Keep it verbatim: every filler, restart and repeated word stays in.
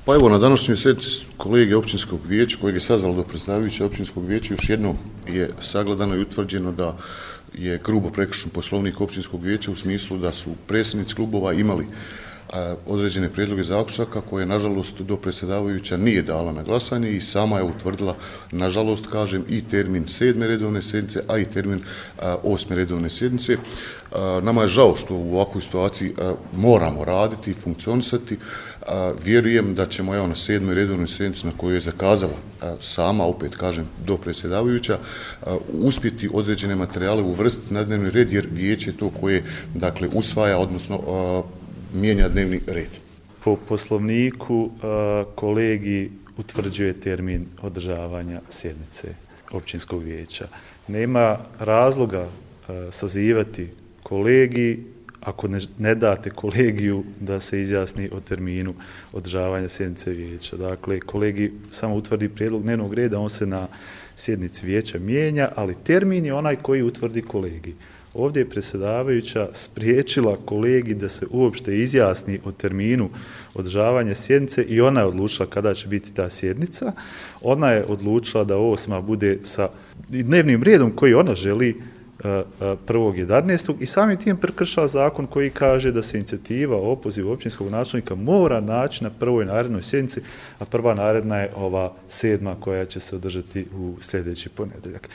Pa evo, na današnjoj sjednici kolege općinskog vijeća, kojeg je sazvalo do predsjedavajuća općinskog vijeća, još jednom je sagledano i utvrđeno da je grubo prekršen Poslovnik općinskog vijeća u smislu da su predsjednici klubova imali a, određene prijedloge zaključaka koje, nažalost, do predsjedavajuća nije dala na glasanje i sama je utvrdila, nažalost, kažem, i termin sedme redovne sjednice, a i termin a, osme redovne sjednice. A, nama je žao što u ovakvoj situaciji a, moramo raditi i funkcionisati. A, vjerujem da ćemo evo na sedmoj redovnoj sjednici na kojoj je zakazala a, sama, opet kažem, do predsjedavajuća, a, uspjeti određene materijale uvrstiti na dnevni red, jer vijeće je to koje, dakle, usvaja, odnosno a, mijenja dnevni red. Po poslovniku a, kolegi utvrđuje termin održavanja sjednice općinskog vijeća. Nema razloga a, sazivati kolegi ako ne, ne date kolegiju da se izjasni o terminu održavanja sjednice vijeća. Dakle, kolegi samo utvrdi prijedlog dnevnog reda, on se na sjednici vijeća mijenja, ali termin je onaj koji utvrdi kolegi. Ovdje je predsjedavajuća spriječila kolegi da se uopšte izjasni o terminu održavanja sjednice i ona je odlučila kada će biti ta sjednica. Ona je odlučila da osma bude sa dnevnim redom koji ona želi prvog jedanaestog i samim tim prekršava zakon koji kaže da se inicijativa o opozivu općinskog načelnika mora naći na prvoj narednoj sjednici, a prva naredna je ova sedma koja će se održati u sljedeći ponedjeljak.